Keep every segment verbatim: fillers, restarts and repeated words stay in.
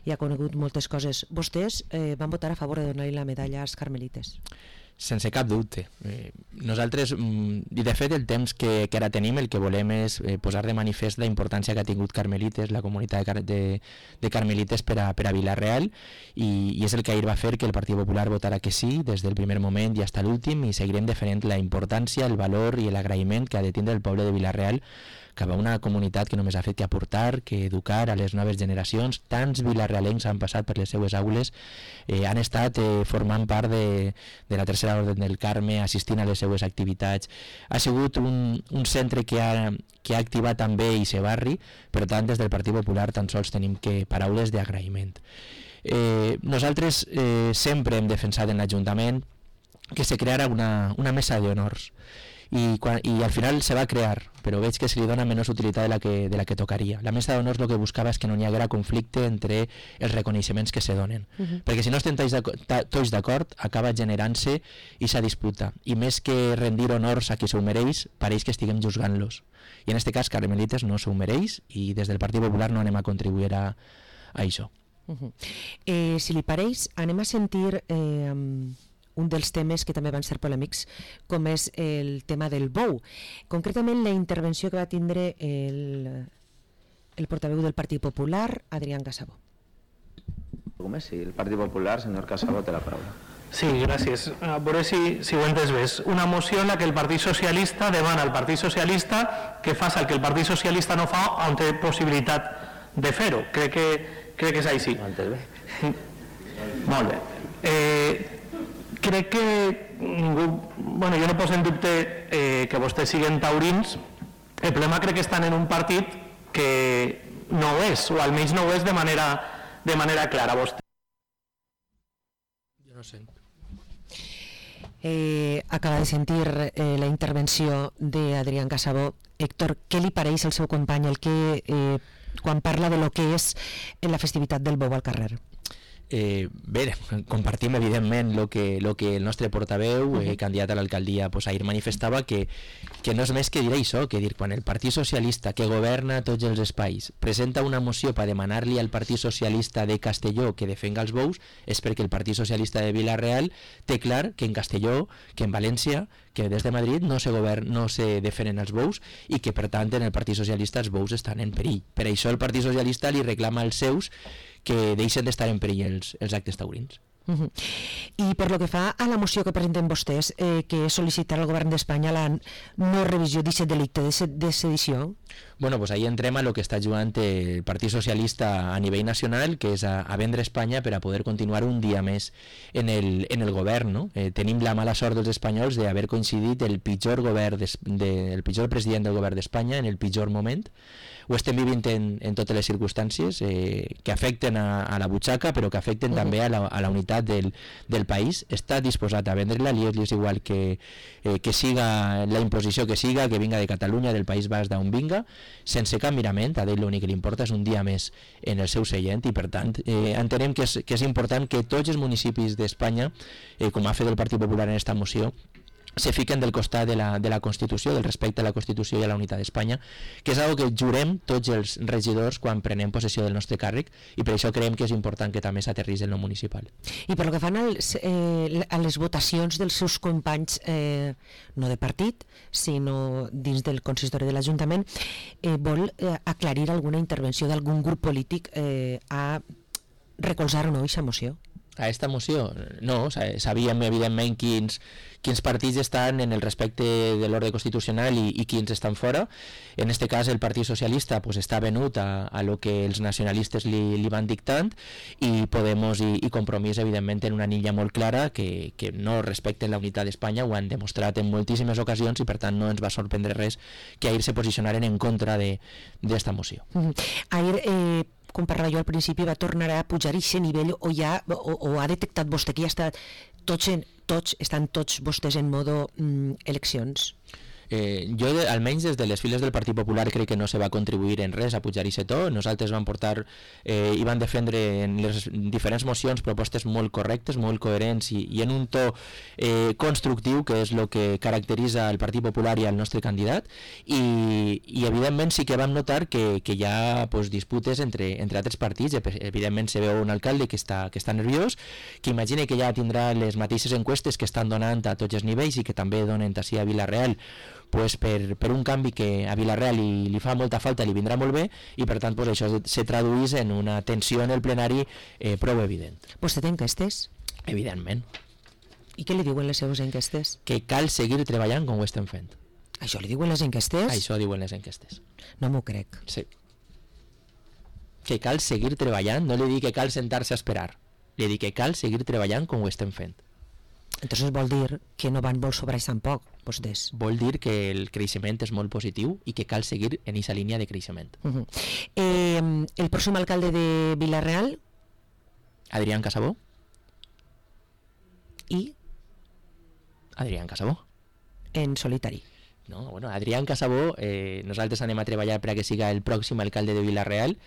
i ha conegut moltes coses. Vostès eh, van votar a favor de donar-li la medalla als carmelites. Sense cap dubte. Eh, nosaltres, i de fet el temps que, que ara tenim, el que volem és eh, posar de manifest la importància que ha tingut Carmelites, la comunitat de, de, de Carmelites per a, per a Vila-real, i, i és el que ahir va fer que el Partit Popular votara que sí des del primer moment i fins a l'últim, i seguirem defendent la importància, el valor i l'agraïment que ha de tindre el poble de Vila-real cap a una comunitat que només ha fet que aportar, que educar a les noves generacions. Tants vilarrealencs han passat per les seues aules, eh, han estat eh, formant part de, de la Tercera Orde del Carme, assistint a les seues activitats. Ha sigut un, un centre que ha, que ha activat també aquest barri, per tant des del Partit Popular tan sols tenim que paraules d'agraïment. Eh, nosaltres eh, sempre hem defensat en l'Ajuntament que se creara una, una mesa d'honors, I, quan, i al final se va crear, però veig que se li dona menys utilitat de la que, de la que tocaria. La mesa d'honors el que buscava és que no hi haguera conflicte entre els reconeixements que se donen, uh-huh. perquè si no estem tots d'acord acaba generant-se aquesta disputa, i més que rendir honors a qui s'ho mereix, pareix que estiguem juzgant-los, i en aquest cas Carmelites no s'ho mereix, i des del Partit Popular no anem a contribuir a, a això. Uh-huh. eh, si li pareix, anem a sentir eh, un dels temes que també van ser polèmics, com és el tema del bou. Concretament la intervenció que va tindre el, el portaveu del Partit Popular, Adrián Casabó. Sí, el Partit Popular, senyor Casabó, té la paraula. Sí, gràcies. A veure si, si ho he entès bé. Una moció en la que el Partit Socialista demana al Partit Socialista que faci el que el Partit Socialista no fa on té possibilitat de fer-ho. Crec que, crec que és així. Ho he entès bé? Molt bé. Eh, crec que ningú, bueno, jo no poso en dubte eh, que vostès siguen taurins. El problema crec que estan en un partit que no ho és, o almenys no ho és de manera, de manera clara. Vostè. Jo no sé. Eh, acaba de sentir eh, la intervenció d'Adrián Casabó. Héctor, què li pareix al seu company el que, eh, quan parla de lo que és la festivitat del bou al carrer? Eh, bé, compartim evidentment el que, lo que el nostre portaveu, eh, candidat a l'alcaldia, pues, ahir manifestava, que, que no és més que dir això, que dir, quan el Partit Socialista, que governa tots els espais, presenta una moció per demanar-li al Partit Socialista de Castelló que defenga els bous, és perquè el Partit Socialista de Vila-real té clar que en Castelló, que en València, que des de Madrid no se, govern, no se defenen els bous, i que per tant en el Partit Socialista els bous estan en perill. Per això el Partit Socialista li reclama als seus que deixen d'estar en perill els, els actes taurins. Uh-huh. I per lo que fa a la moció que presenten vostès, eh, que és sol·licitar al govern d'Espanya la no revisió d'aquest delicte de sedició? Bueno, pues ahí entrem a lo que està jugant el Partit Socialista a nivell nacional, que és a, a vendre Espanya per a poder continuar un dia més en el, en el govern, no? Eh, tenim la mala sort dels espanyols d'haver coincidit el pitjor govern de, de, el pitjor president del govern d'Espanya en el pitjor moment. Ho estem vivint en, en totes les circumstàncies eh, que afecten a, a la butxaca, però que afecten uh-huh. també a la, a la unitat del, del país. Està disposat a vendre-la, li és igual que, eh, que siga la imposició que siga, que vinga de Catalunya, del País Basc, d'on vinga, sense cap mirament. A ell l'únic que li importa és un dia més en el seu seient, i per tant eh, entenem que és, que és important que tots els municipis d'Espanya, eh, com ha fet el Partit Popular en esta moció, se fiquen del costat de la, de la Constitució, del respecte a la Constitució i a la unitat d'Espanya, que és una que jurem tots els regidors quan prenem possessió del nostre càrrec, i per això creiem que és important que també s'aterrís en lo municipal. I per lo que fan als, eh, a les votacions dels seus companys, eh, no de partit, sinó dins del consistori de l'Ajuntament, eh, vol eh, aclarir alguna intervenció d'algun grup polític eh, a recolzar o no aquesta moció? A esta moció? No, sabíem evidentment quins, quins partits estan en el respecte de l'ordre constitucional i, i quins estan fora. En este cas el Partit Socialista pues, està venut a, a lo que els nacionalistes li, li van dictant, i Podemos i, i Compromís evidentment en una anilla molt clara que, que no respecten la unitat d'Espanya, ho han demostrat en moltíssimes ocasions, i per tant no ens va sorprendre res que ahir se posicionaren en contra d'esta moció. Mm-hmm. Ahir eh... com parlava jo al principi, va tornar a pujar a aquest nivell, o, ja, o, o ha detectat vostè que ja està tots, en, tots estan tots vostès en modo mm, eleccions? Eh, jo, de, almenys des de les files del Partit Popular, crec que no se va contribuir en res a pujar i to. Nosaltres vam portar eh, i van defendre en les diferents mocions propostes molt correctes, molt coherents i, i en un to eh, constructiu, que és el que caracteritza el Partit Popular i el nostre candidat, i, i evidentment sí que vam notar que, que hi ha pues, disputes entre, entre altres partits. Evidentment se veu un alcalde que està, que està nerviós, que imagina que ja tindrà les mateixes enquestes que estan donant a tots els nivells i que també donen així a Vila-real, pues per, per un canvi que a Vila-real li, li fa molta falta, li vindrà molt bé, i per tant pues, això se traduís en una tensió en el plenari eh, prou evident. Vostè té enquestes? Evidentment. I què li diuen les seves enquestes? Que cal seguir treballant com ho estem fent. Això li diuen les enquestes? Això diuen les enquestes. No m'ho crec. Sí. Que cal seguir treballant, no li dic que cal sentar-se a esperar, li dic que cal seguir treballant com ho estem fent. Entonces vol dir que no van molt sobrats tampoc, vostès. Vol dir que el creixement és molt positiu i que cal seguir en aquesta línia de creixement. Uh -huh. eh, el pròxim alcalde de Vila-real? Adrián Casabó. I? Adrián Casabó. En solitari. No, bueno, Adrián Casabó, eh, nosaltres anem a treballar perquè siga el pròxim alcalde de Vila-real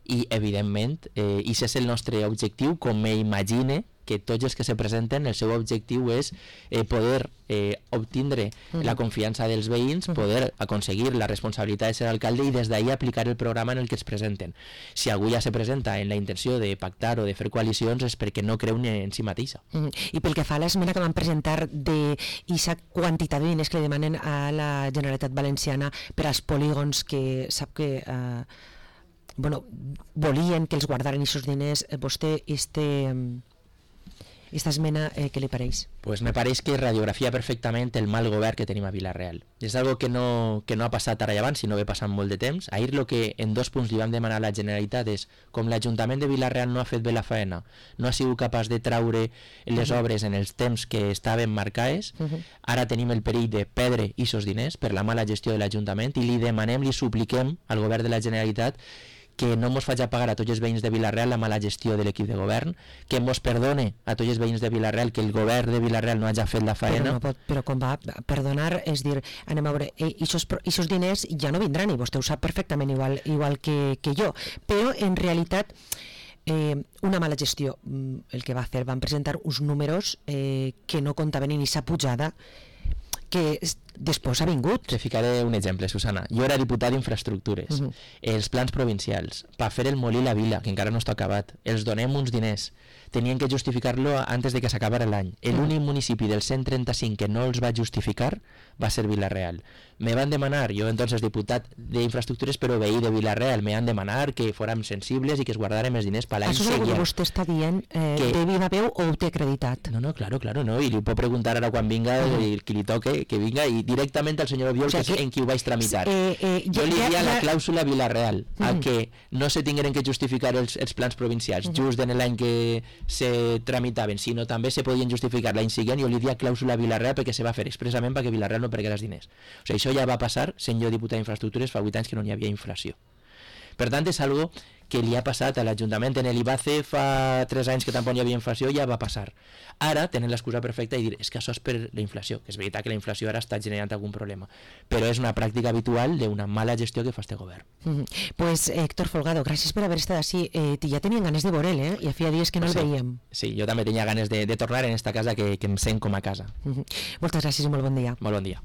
i, evidentment, eh, i és el nostre objectiu, com me imagine que tots els que se presenten, el seu objectiu és eh, poder eh, obtindre uh -huh. la confiança dels veïns, uh -huh. poder aconseguir la responsabilitat de ser alcalde i des d'ahir aplicar el programa en el que es presenten. Si algú ja se presenta en la intenció de pactar o de fer coalicions és perquè no creu ni en si mateixa. Uh -huh. I pel que fa a l'esmena que van presentar d'aquesta quantitat de diners que li demanen a la Generalitat Valenciana per als polígons, que sap que eh, bueno, volien que els guardaren aquests diners, vostè este... Esta esmena, eh, què li pareix? Pues me pareix que radiografia perfectament el mal govern que tenim a Vila-real. És algo que no, que no ha passat ara i abans, sinó que ha passat molt de temps. Ahir el que en dos punts li vam demanar a la Generalitat és, com l'Ajuntament de Vila-real no ha fet bé la faena, no ha sigut capaç de traure les uh -huh. obres en els temps que estaven marcades, uh -huh. ara tenim el perill de perdre aquests diners per la mala gestió de l'Ajuntament i li demanem, li supliquem al govern de la Generalitat que no mos faci pagar a tots els veïns de Vila-real la mala gestió de l'equip de govern, que mos perdone a tots els veïns de Vila-real que el govern de Vila-real no hagi fet la faena. Però, no pot, però com va perdonar, és dir, anem a veure, aquests diners ja no vindran, i vostè ho sap perfectament igual, igual que, que jo, però en realitat eh, una mala gestió el que va fer, van presentar uns números eh, que no comptaven ni sa pujada que després ha vingut. Te ficaré un exemple, Susana. Jo era diputat d'Infraestructures. Uh -huh. Els plans provincials, per fer el molí La Vila, que encara no està acabat, els donem uns diners. Tenien que justificar-lo antes de que s'acabara l'any. L'únic municipi del cent trenta-cinc que no els va justificar va ser Vila-real. Me van demanar, jo entonces diputat d'Infraestructures però veí de Vila-real, me van demanar que fórem sensibles i que es guardàrem els diners per l'any següent. Això és el que vostè està dient eh, que... de viva veu o ho té acreditat? No, no, claro, claro, no, i li puc preguntar ara quan vinga, uh -huh. qui li toque, que vinga, i directament al senyor Biol, o sea, que és en qui ho vaig tramitar. Eh, eh, jo li diria ja, la clàusula Vila-real, uh -huh. a que no se tingueren que justificar els, els plans provincials uh -huh. just en l'any que se tramitaven, sinó també se podien justificar l'any següent, i jo li diria clàusula Vila-real perquè se va fer expressament perquè Vila-real no pergués els diners. O sigui, això ja va passar, sent jo diputat d'Infraestructures, fa vuit anys que no hi havia inflació. Per tant, és algo que li ha passat a l'Ajuntament. En l'Ibace fa tres anys que tampoc hi havia inflació, ja va passar. Ara tenen l'excusa perfecta i dir, és que això és per la inflació, que és veritat que la inflació ara està generant algun problema, però és una pràctica habitual d'una mala gestió que fa este govern. Mm -hmm. Pues Héctor Folgado, gràcies per haver estat així. Eh, ja tenien ganes de veure'l, eh? Ja feia dies que no el sí, veiem. Sí, jo també tenia ganes de, de tornar en esta casa que, que em sent com a casa. Mm -hmm. Moltes gràcies i molt bon dia. Molt bon dia.